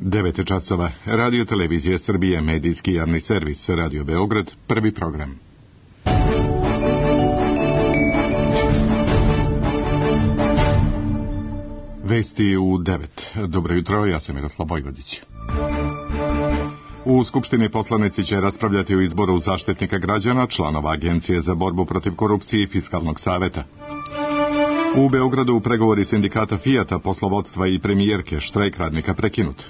9 časova. Radio Televizija Srbije, medijski javni servis, Radio Beograd, prvi program. Vesti u 9. Dobro jutro, ja sam Miroslav Vojvodić. U Skupštini poslanici će raspravljati o izboru zaštitnika građana, članova Agencije za borbu protiv korupcije i Fiskalnog saveta. U Beogradu pregovori sindikata Fijata, poslovodstva i premijerke, štrajk radnika prekinut.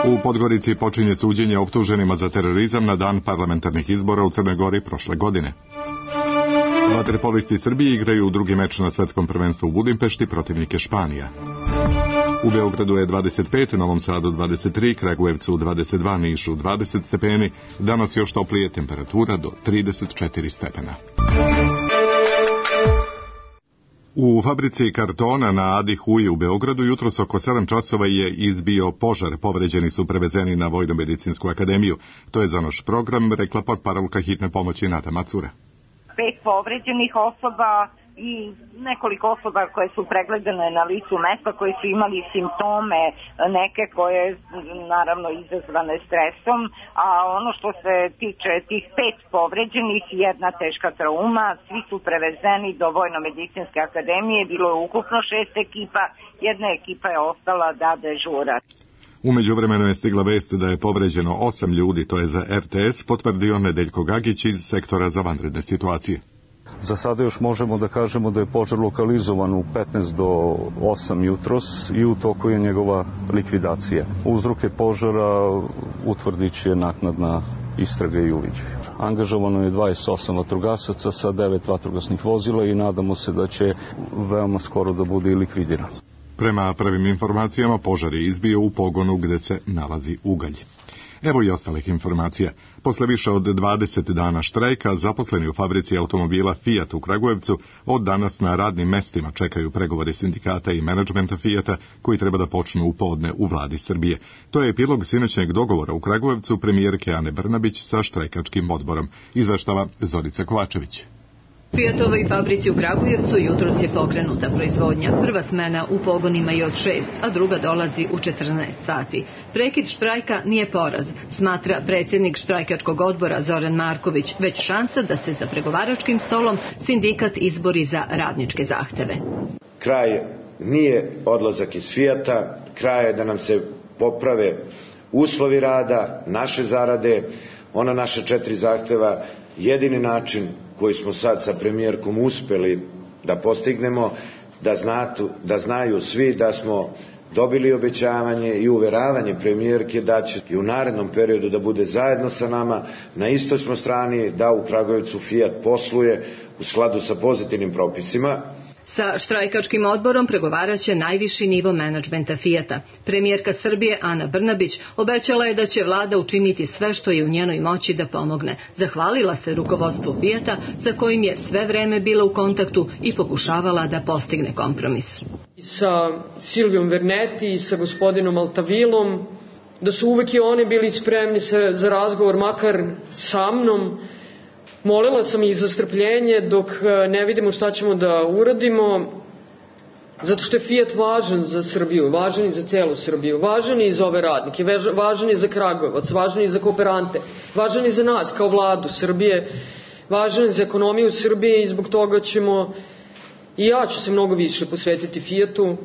U Podgorici počinje suđenje optuženima za terorizam na dan parlamentarnih izbora u Crnoj Gori prošle godine. Vaterpolisti Srbije igraju drugi meč na svetskom prvenstvu u Budimpešti, protivnike Španija. U Beogradu je 25, Novom Sadu 23, Kragujevcu 22, Nišu 20 stepeni, danas još toplije, temperatura do 34 stepena. U fabrici kartona na Adi Huji u Beogradu jutros oko 7 časova je izbio požar. Povređeni su prevezeni na Vojno-medicinsku akademiju. To je za naš program rekla portparolka hitne pomoći Nata Macura. 5 povređenih osoba i nekoliko osoba koje su pregledane na licu mesta, koje su imali simptome neke koje naravno izazvane stresom, a ono što se tiče tih 5 povređenih, jedna teška trauma, svi su prevezeni do Vojno-medicinske akademije, bilo je ukupno 6 ekipa, jedna ekipa je ostala da dežura. U međuvremenu je stigla vest da je povređeno 8 ljudi, to je za RTS, potvrdio Nedeljko Gagić iz sektora za vanredne situacije. Za sada još možemo da kažemo da je požar lokalizovan u 15 do 8 jutros i u toku je njegova likvidacija. Uzroke požara utvrdit će naknadna istraga i uviđaj. Angažovano je 28 vatrogasaca sa 9 vatrogasnih vozila i nadamo se da će veoma skoro da bude i likvidiran. Prema prvim informacijama, požar je izbio u pogonu gde se nalazi ugalj. Evo i ostalih informacija. Posle više od 20 dana štrajka, zaposleni u fabrici automobila Fiat u Kragujevcu od danas na radnim mestima čekaju pregovori sindikata i menadžmenta Fijata koji treba da počnu u podne u vladi Srbije. To je epilog sinoćnjeg dogovora u Kragujevcu premijerke Ane Brnabić sa štrajkačkim odborom, izveštava Zorica Kovačević. Fijatovoj fabrici u Kragujevcu jutros je pokrenuta proizvodnja. Prva smena u pogonima je od 6, a druga dolazi u 14 sati. Prekid štrajka nije poraz, smatra predsjednik štrajkačkog odbora Zoran Marković, već šansa da se za pregovaračkim stolom sindikat izbori za radničke zahteve. Kraj nije odlazak iz Fijata, kraj je da nam se poprave uslovi rada, naše zarade, ona naše 4 zahteva, jedini način koji smo sad sa premijerkom uspeli da postignemo, da znaju svi da smo dobili obećavanje i uveravanje premijerke da će i u narednom periodu da bude zajedno sa nama, na istoj smo strani da u Kragujevcu Fijat posluje u skladu sa pozitivnim propisima. Sa štrajkačkim odborom pregovaraće najviši nivo menadžmenta Fijata. Premijerka Srbije Ana Brnabić obećala je da će vlada učiniti sve što je u njenoj moći da pomogne. Zahvalila se rukovodstvu Fijata sa kojim je sve vreme bila u kontaktu i pokušavala da postigne kompromis. Sa Silvijom Verneti i sa gospodinom Altavilom, da su uvek i oni bili spremni za razgovor, makar sa mnom. Molila sam ih za strpljenje dok ne vidimo šta ćemo da uradimo, zato što je Fijat važan za Srbiju, važan i za celu Srbiju, važan i za ove radnike, važan i za Kragujevac, važan i za kooperante, važan i za nas kao vladu Srbije, važan i za ekonomiju Srbije i zbog toga ćemo, i ja ću se mnogo više posvetiti Fijatu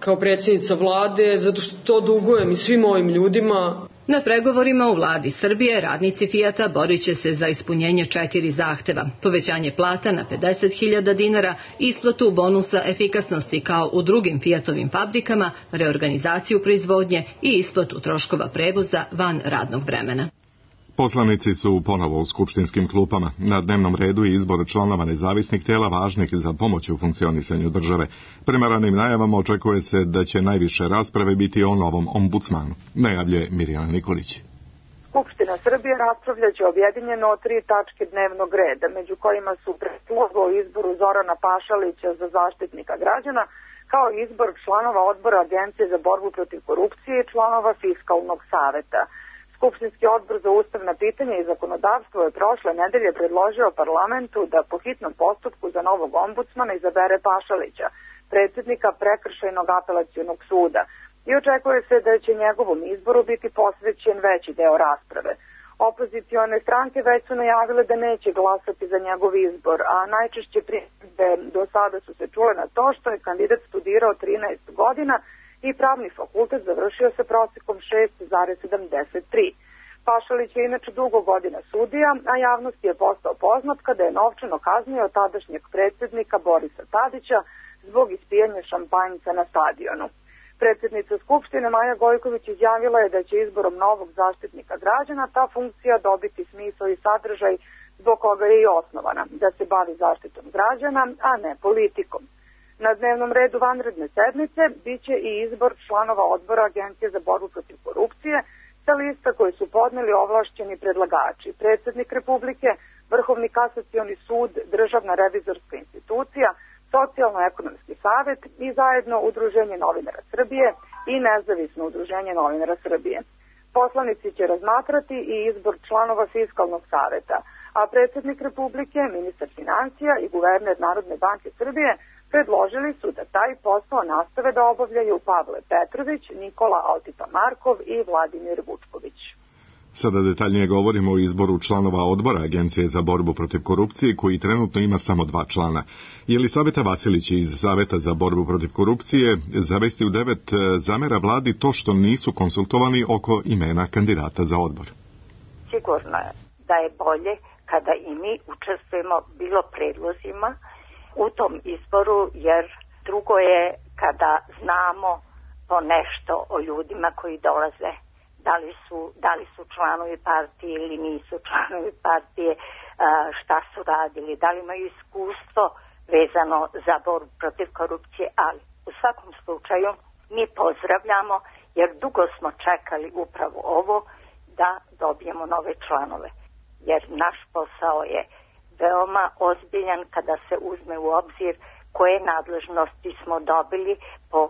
kao predsjednica vlade, zato što to dugujem i svim ovim ljudima. Na pregovorima u vladi Srbije radnici Fijata borit će se za ispunjenje 4 zahteva. Povećanje plata na 50.000 dinara, isplatu bonusa efikasnosti kao u drugim Fijatovim fabrikama, reorganizaciju proizvodnje i isplatu troškova prevoza van radnog vremena. Poslanici su ponovo u skupštinskim klupama. Na dnevnom redu je izbor članova nezavisnih tela važnih za pomoć u funkcionisanju države. Prema ranim najavama očekuje se da će najviše rasprave biti o novom ombudsmanu, najavljuje Mirjana Nikolić. Skupština Srbije raspravljaće objedinjeno o 3 tačke dnevnog reda, među kojima su predlog o izboru Zorana Pašalića za zaštitnika građana, kao izbor članova odbora Agencije za borbu protiv korupcije i članova Fiskalnog saveta. Skupštinski odbor za ustavna pitanja i zakonodavstvo je prošle nedelje predložio parlamentu da po hitnom postupku za novog ombudsmana izabere Pašalića, predsjednika Prekršajnog apelacionog suda. i očekuje se da će njegovom izboru biti posvećen veći deo rasprave. Opozicione stranke već su najavile da neće glasati za njegov izbor, a najčešće primjedbe do sada su se čule na to što je kandidat studirao 13 godina i pravni fakultet završio sa prosekom 6,73. Pašalić je inače dugo godina sudija, a javnost je postao poznat kada je novčano kaznio tadašnjeg predsjednika Borisa Tadića zbog ispijanja šampanjca na stadionu. Predsjednica Skupštine Maja Gojković izjavila je da će izborom novog zaštitnika građana ta funkcija dobiti smisao i sadržaj zbog koga je i osnovana, da se bavi zaštitom građana, a ne politikom. Na dnevnom redu vanredne sednice biće i izbor članova odbora Agencije za borbu protiv korupcije sa lista koje su podneli ovlašćeni predlagači, predsjednik Republike, Vrhovni kasacioni sud, Državna revizorska institucija, Socijalno-ekonomski savet i zajedno Udruženje novinara Srbije i Nezavisno udruženje novinara Srbije. Poslanici će razmatrati i izbor članova Fiskalnog saveta, a predsjednik Republike, ministar financija i guverner Narodne banke Srbije predložili su da taj posao nastave da obavljaju Pavle Petrović, Nikola Altipa-Markov i Vladimir Vučković. Sada detaljnije govorimo o izboru članova odbora Agencije za borbu protiv korupcije, koji trenutno ima samo 2 člana. Jelisaveta Vasilić iz Saveta za borbu protiv korupcije za Vesti u 9 zamera vladi to što nisu konsultovani oko imena kandidata za odbor. Sigurno je da je bolje kada i mi učestvujemo bilo predlozima u tom izboru, jer drugo je kada znamo po nešto o ljudima koji dolaze. Da li su članovi partije ili nisu članovi partije, šta su radili, da li imaju iskustvo vezano za borbu protiv korupcije, ali u svakom slučaju mi pozdravljamo, jer dugo smo čekali upravo ovo da dobijemo nove članove, jer naš posao je veoma ozbiljan kada se uzme u obzir koje nadležnosti smo dobili po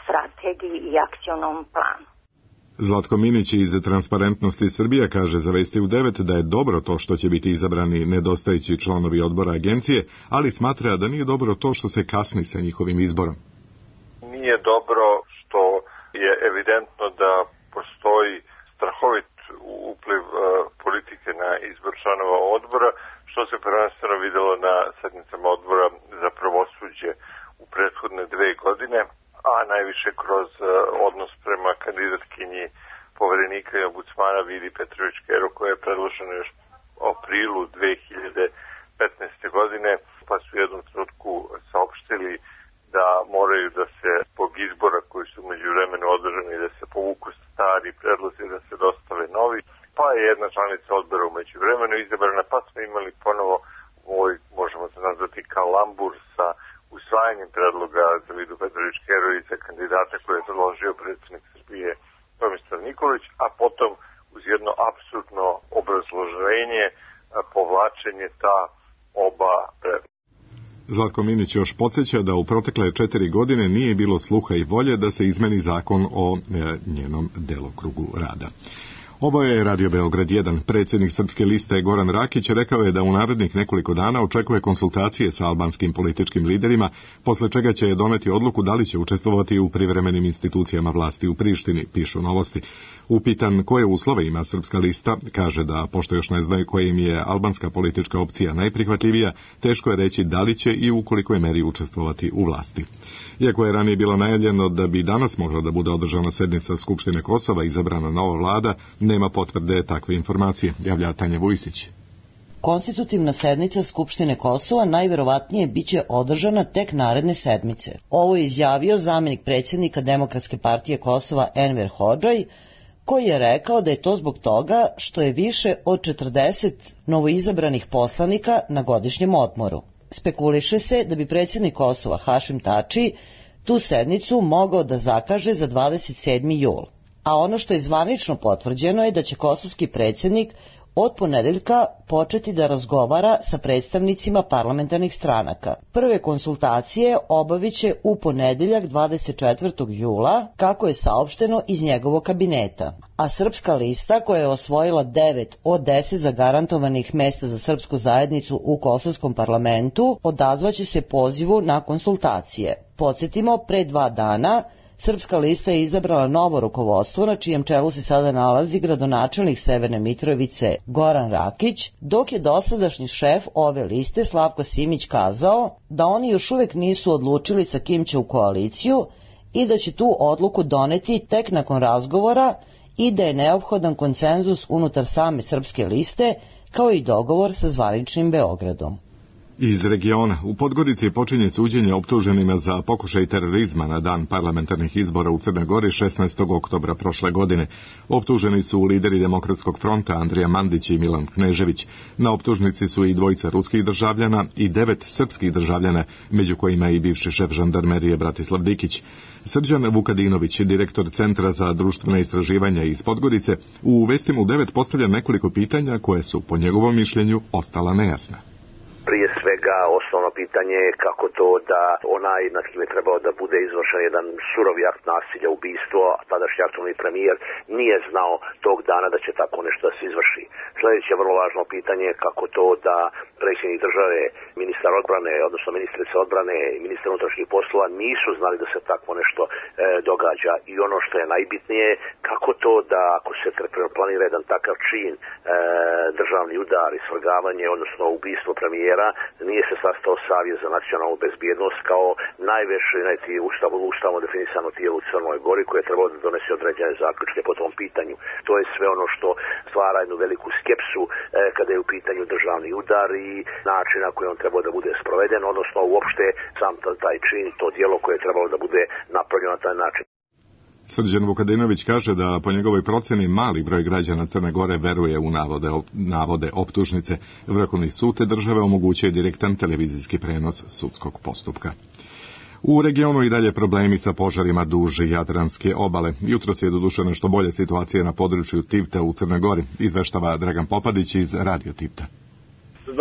strategiji i akcionom planu. Zlatko Minić iz Transparentnosti Srbija kaže za Vesti u 9 da je dobro to što će biti izabrani nedostajući članovi odbora agencije, ali smatra da nije dobro to što se kasni sa njihovim izborom. Nije dobro što je evidentno da postoji strahovit upliv politike na izbor članova odbora, što se prvenstveno videlo na sednicama odbora za pravosuđe u prethodne 2 godine, a najviše kroz odnos prema kandidatkinji poverenika i ombudsmana Vidi Petrović-Škero, koja je predložena još u aprilu 2015. godine, pa su u jednom trenutku saopštili da moraju da se zbog izbora koji su međuvremenu održani, da se povuku stari predlozi, da se dostave novi, pa je jedna članica odbora u međuvremenu izabrana, pa smo imali ponovo možemo se nazvati kalambur sa usvajanjem predloga za Vidu Petrović-Škero i za kandidata koje je predložio predsjednik Srbije Tomislav Nikolić, a potom uz jedno apsurdno obrazloženje povlačenje ta oba predloga. Zlatko Minić još podsjeća da u protekle 4 godine nije bilo sluha i volje da se izmeni zakon o njenom delokrugu rada. Ovo je Radio Beograd 1. Predsjednik Srpske liste Goran Rakić rekao je da u narednih nekoliko dana očekuje konsultacije sa albanskim političkim liderima, posle čega će doneti odluku da li će učestvovati u privremenim institucijama vlasti u Prištini, pišu Novosti. Upitan koje uslove ima Srpska lista, kaže da, pošto još ne znaju koja im je albanska politička opcija najprihvatljivija, teško je reći da li će i u kolikoj meri učestvovati u vlasti. Iako je ranije bilo najavljeno da bi danas mogla da bude održana sednica Skupštine Kosova i izabrana nova vlada, nema potvrde takve informacije, javlja Tanja Vujsić. Konstitutivna sednica Skupštine Kosova najverovatnije biće održana tek naredne sedmice. Ovo je izjavio zamenik predsjednika Demokratske partije Kosova Enver Hodžaj, koji je rekao da je to zbog toga što je više od 40 novoizabranih poslanika na godišnjem odmoru. Spekuliše se da bi predsjednik Kosova Hašim Tači tu sednicu mogao da zakaže za 27. jul. A ono što je zvanično potvrđeno je da će kosovski predsjednik od ponedeljka početi da razgovara sa predstavnicima parlamentarnih stranaka. Prve konsultacije obaviće u ponedeljak 24. jula, kako je saopšteno iz njegovog kabineta. A Srpska lista, koja je osvojila 9 od 10 zagarantovanih mesta za srpsku zajednicu u kosovskom parlamentu, odazvaće se pozivu na konsultacije. Podsjetimo, pre 2 dana Srpska lista je izabrala novo rukovodstvo, na čijem čelu se sada nalazi gradonačelnik Severne Mitrovice Goran Rakić, dok je dosadašnji šef ove liste Slavko Simić kazao da oni još uvek nisu odlučili sa kim će u koaliciju i da će tu odluku doneti tek nakon razgovora i da je neophodan konsenzus unutar same Srpske liste, kao i dogovor sa zvaničnim Beogradom. Iz regiona, u Podgorici počinje suđenje optuženima za pokušaj terorizma na dan parlamentarnih izbora u Crnoj Gori 16. oktobra prošle godine. Optuženi su lideri Demokratskog fronta Andrija Mandić i Milan Knežević. Na optužnici su i dvojica ruskih državljana i 9 srpskih državljana, među kojima i bivši šef žandarmerije Bratislav Dikić. Srđan Vukadinović, direktor Centra za društvene istraživanja iz Podgorice, u Vestima u 9 postavlja nekoliko pitanja koje su, po njegovom mišljenju, ostala nejasna. Prije svega, osnovno pitanje je kako to da onaj nad kim je trebao da bude izvršen jedan surovi akt nasilja, ubistvo, a tadašnji aktualni premijer nije znao tog dana da će tako nešto da se izvrši. Sljedeće vrlo važno pitanje je kako to da predsjednik države, ministar odbrane, odnosno ministrica odbrane i ministar unutrašnjih poslova nisu znali da se tako nešto događa. I ono što je najbitnije, kako to da ako se planira jedan takav čin, državni udar i svrgavanje, odnosno ubistvo premijera, nije se sastao Savjet za nacionalnu bezbjednost kao najveće ustavno definisano tijelo u Crnoj Gori koje je trebalo da donese određene zaključke po tom pitanju. To je sve ono što stvara jednu veliku skepsu kada je u pitanju državni udar i način na koji on trebao da bude sproveden, odnosno uopšte sam taj čin, to djelo koje je trebalo da bude napravljeno na taj način. Srđan Vukadinović kaže da po njegovoj procjeni mali broj građana Crne Gore veruje u navode optužnice. Vrhovni sud te države omogućuje direktan televizijski prenos sudskog postupka. U regionu i dalje problemi sa požarima duž Jadranske obale. Jutros je doduše nešto bolje situacija na području Tivta u Crnoj Gori, izveštava Dragan Popadić iz Radio Tivta.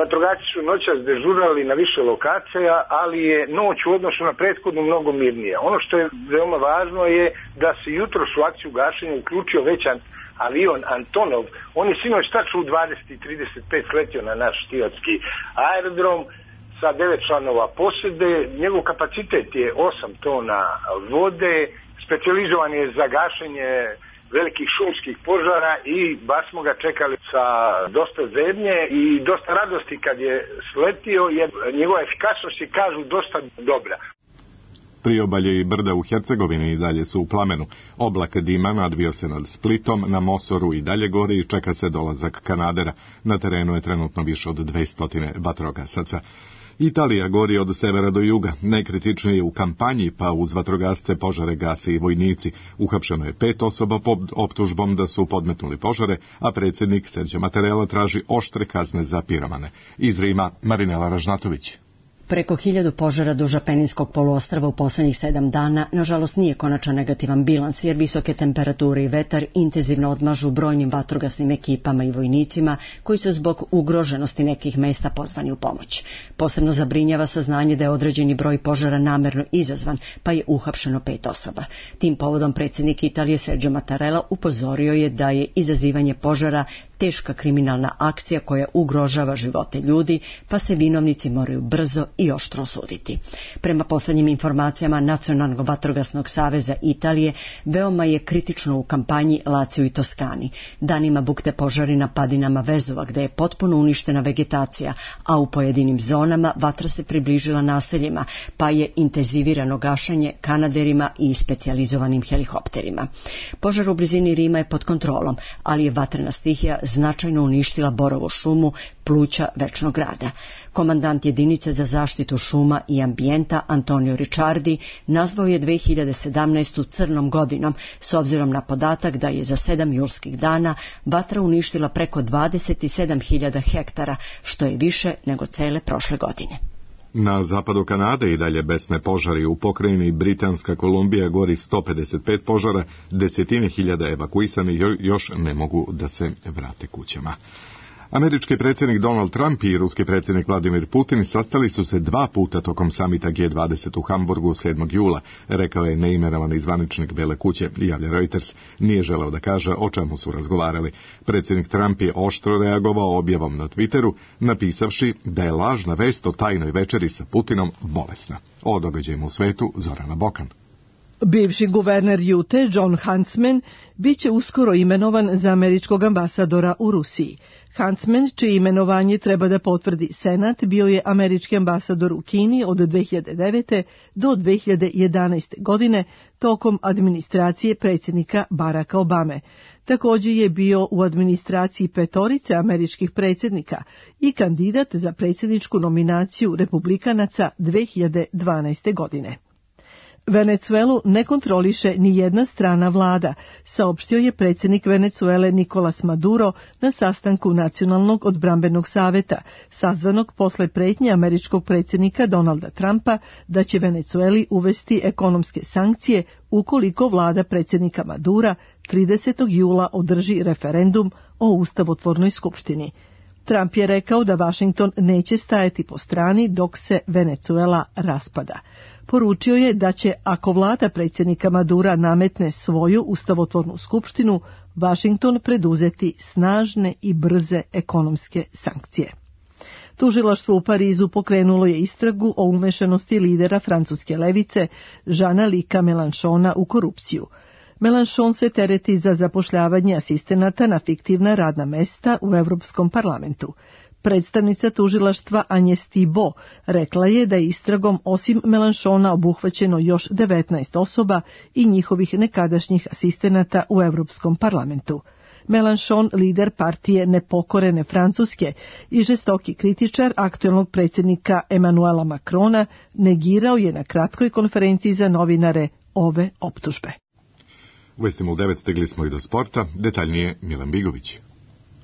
Vatrogasci su noćas dežurali na više lokacija, ali je noć u odnosu na prethodnu mnogo mirnija. Ono što je veoma važno je da se jutros u akciju gašenja uključio već avion Antonov. On je sinoć tačno u 20:35 sletio na naš štijatski aerodrom sa 9 članova posade. Njegov kapacitet je 8 tona vode, specijalizovan je za gašenje velikih šumskih požara i baš smo ga čekali sa dosta zebnje i dosta radosti kad je sletio, jer njegova efikasnost je, kažu, dosta dobra. Priobalje i brda u Hercegovini i dalje su u plamenu. Oblak dima nadvio se nad Splitom, na Mosoru i dalje gori i čeka se dolazak kanadera. Na terenu je trenutno više od 200 vatrogasaca. Italija gori od severa do juga, najkritičnije u kampanji, pa uz vatrogasce požare gase i vojnici. Uhapšeno je 5 osoba pod optužbom da su podmetnuli požare, a predsjednik Serđo Mattarella traži oštre kazne za piromane. Iz Rima, Marinela Ražnatović. Preko 1000 požara duž Apeninskog poluostrva u posljednjih 7 dana, nažalost nije konačan negativan bilans, jer visoke temperature i vetar intenzivno odmažu brojnim vatrogasnim ekipama i vojnicima koji su zbog ugroženosti nekih mesta pozvani u pomoć. Posebno zabrinjava saznanje da je određeni broj požara namerno izazvan, pa je uhapšeno 5 osoba. Tim povodom predsjednik Italije Sergio Mattarella upozorio je da je izazivanje požara teška kriminalna akcija koja ugrožava živote ljudi, pa se vinovnici moraju brzo i oštro osuditi. Prema posljednjim informacijama Nacionalnog vatrogasnog saveza Italije, veoma je kritično u kampanji Lazio i Toskani. Danima bukte požari na padinama Vezova, gdje je potpuno uništena vegetacija, a u pojedinim zonama vatra se približila naseljima, pa je intenzivirano gašenje kanaderima i specijalizovanim helikopterima. Požar u blizini Rima je pod kontrolom, ali je vatrena stihija značajno uništila borovu šumu, pluća večnog grada. Komandant jedinice za zaštitu šuma i ambijenta Antonio Ricciardi nazvao je 2017. crnom godinom, s obzirom na podatak da je za 7 julskih dana vatra uništila preko 27.000 hektara, što je više nego cele prošle godine. Na zapadu Kanade i dalje besne požari. U pokrajini Britanska Kolumbija gori 155 požara, desetine hiljada evakuisani još ne mogu da se vrate kućama. Američki predsjednik Donald Trump i ruski predsjednik Vladimir Putin sastali su se 2 puta tokom samita G20 u Hamburgu 7. jula, rekao je neimenovani zvaničnik Bele kuće, javlja Reuters. Nije želeo da kaže o čemu su razgovarali. Predsjednik Trump je oštro reagovao objavom na Twitteru, napisavši da je lažna vest o tajnoj večeri sa Putinom bolesna. O događajima u svetu Zorana Bokan. Bivši guverner Jute, Jon Huntsman, bit će uskoro imenovan za američkog ambasadora u Rusiji. Huntsman, čije imenovanje treba da potvrdi Senat, bio je američki ambasador u Kini od 2009. do 2011. godine tokom administracije predsjednika Baracka Obame. Također je bio u administraciji 5 američkih predsjednika i kandidat za predsjedničku nominaciju republikanaca 2012. godine. Venecuelu ne kontroliše ni jedna strana vlada, saopštio je predsjednik Venecuele Nicolas Maduro na sastanku Nacionalnog odbrambenog saveta, sazvanog posle pretnje američkog predsjednika Donalda Trumpa da će Venecueli uvesti ekonomske sankcije ukoliko vlada predsjednika Madura 30. jula održi referendum o ustavotvornoj skupštini. Trump je rekao da Washington neće stajati po strani dok se Venecuela raspada. Poručio je da će, ako vlada predsjednika Madura nametne svoju ustavotvornu skupštinu, Washington preduzeti snažne i brze ekonomske sankcije. Tužilaštvo u Parizu pokrenulo je istragu o umešanosti lidera francuske levice Jeana-Luca Mélenchona u korupciju. Mélenchon se tereti za zapošljavanje asistenata na fiktivna radna mesta u Europskom parlamentu. Predstavnica tužilaštva Agnès Thibault rekla je da je istragom osim Mélenchona obuhvaćeno još 19 osoba i njihovih nekadašnjih asistenata u Europskom parlamentu. Mélenchon, lider partije Nepokorene Francuske i žestoki kritičar aktuelnog predsjednika Emmanuela Macrona, negirao je na kratkoj konferenciji za novinare ove optužbe. U Vestima u 9 stigli smo i do sporta, detaljnije Milan Bigović.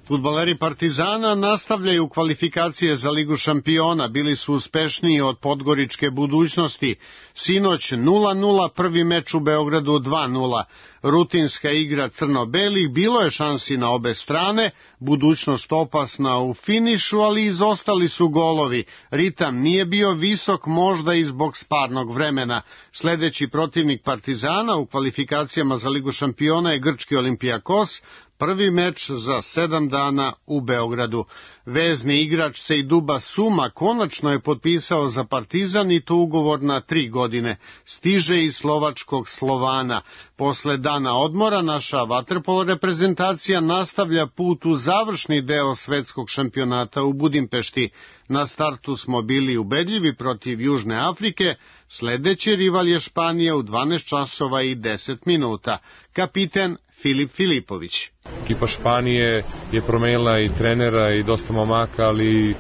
Fudbaleri Partizana nastavljaju kvalifikacije za Ligu šampiona, bili su uspešniji od podgoričke Budućnosti. Sinoć 0-0, prvi meč u Beogradu 2-0. Rutinska igra crno-belih, bilo je šansi na obe strane, Budućnost opasna u finišu, ali izostali su golovi. Ritam nije bio visok, možda i zbog sparnog vremena. Sledeći protivnik Partizana u kvalifikacijama za Ligu šampiona je grčki Olympiakos, prvi meč za 7 dana u Beogradu. Vezni igrač Sejduba Suma konačno je potpisao za Partizan i to ugovor na 3 godine. Stiže iz slovačkog Slovana. Posle dana odmora naša vaterpolo reprezentacija nastavlja put u završni deo svetskog šampionata u Budimpešti. Na startu smo bili ubedljivi protiv Južne Afrike, sledeći rival je Španija u 12 časova i 10 minuta. Kapiten Filip Filipović. Ekipa Španije je promenila i trenera i dosta momaka, ali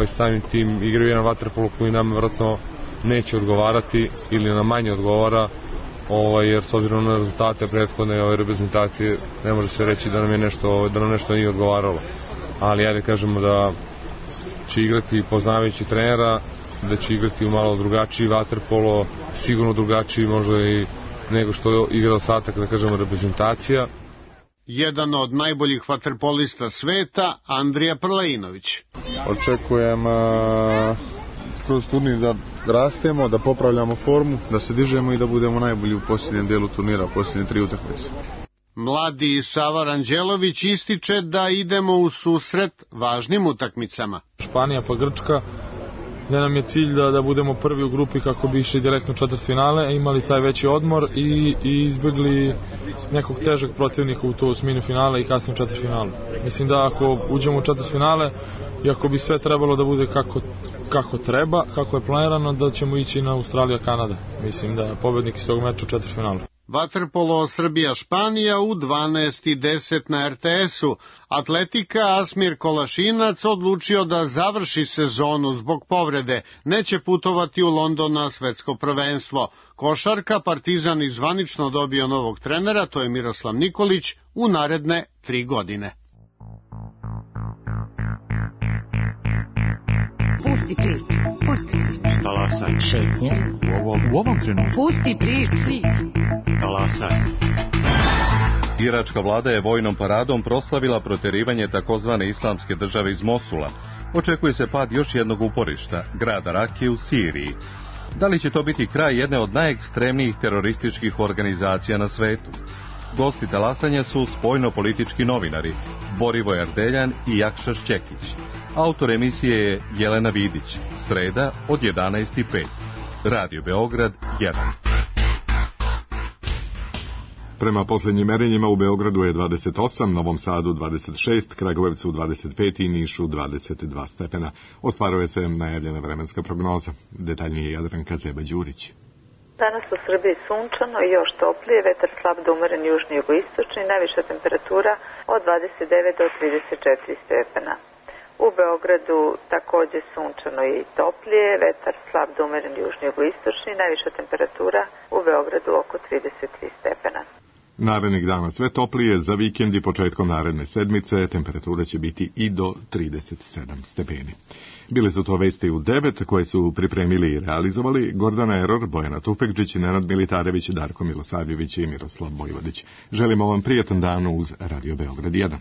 samim tim igraju jedan vaterpolo koji nam vjerojatno neće odgovarati ili nam manje odgovara, jer s obzirom na rezultate prethodne reprezentacije ne može se reći da nam nešto nije odgovaralo. Ali ajde kažemo da će igrati poznavajući trenera, da će igrati u malo drugačiji vaterpolo, sigurno drugačiji možda i nego što igra ostatak, da kažemo, reprezentacija. Jedan od najboljih vaterpolista sveta, Andrija Prlainović. Očekujem kroz turnir da rastemo, da popravljamo formu, da se dižemo i da budemo najbolji u posljednjem dijelu turnira, posljednje 3 utakmice. Mladi Sava Ranđelović ističe da idemo u susret važnim utakmicama. Španija pa Grčka, gde nam je cilj da budemo prvi u grupi kako bi išli direktno u četvrtfinale, imali taj veći odmor i izbjegli nekog težeg protivnika u to osmini finale i kasnije u četvrtfinalu. Mislim da ako uđemo u četvrtfinale i ako bi sve trebalo da bude kako treba, kako je planirano, da ćemo ići na Australija-Kanada. Mislim da je pobednik iz tog meča u četvrtfinalu. Vaterpolo Srbija-Španija u 12:10 na RTS-u. Atletika Asmir Kolašinac odlučio da završi sezonu zbog povrede. Neće putovati u London na svetsko prvenstvo. Košarka Partizan izvanično dobio novog trenera, to je Miroslav Nikolić, u naredne 3 godine. Pusti priču, pusti priču. Talasaj. Šetnje. U ovom trenutku. Pusti priču. Talasaj. Iračka vlada je vojnom paradom proslavila protjerivanje takozvane islamske države iz Mosula. Očekuje se pad još jednog uporišta, grada Rakije u Siriji. Da li će to biti kraj jedne od najekstremnijih terorističkih organizacija na svetu? Gosti talasanja su spoljno-politički novinari Borivoje Ardeljan i Jakša Šćekić. Autor emisije je Jelena Vidić. Sreda od 11:05. Radio Beograd 1. Prema posljednjim merenjima u Beogradu je 28, Novom Sadu 26, Kragujevcu 25 i Nišu 22 stepena. Ostvaruje se najavljena vremenska prognoza. Detaljnije Jadranka Zeba-Đurić. Danas u Srbiji sunčano i još toplije, vetar slab do umeren južni jugoistočni, najviša temperatura od 29 do 34 stepena. U Beogradu takođe sunčano i toplije, vetar slab do umeren južni jugoistočni, najviša temperatura u Beogradu oko 33 stepena. Narednih dana sve toplije, za vikend i početkom naredne sedmice temperatura će biti i do 37 stepeni. Bile su to vesti u 9 koje su pripremili i realizovali Gordana Eror, Bojana Tufekđić, Nenad Militarević, Darko Milosavljević i Miroslav Bojvodić. Želimo vam prijetan dan uz Radio Beograd 1.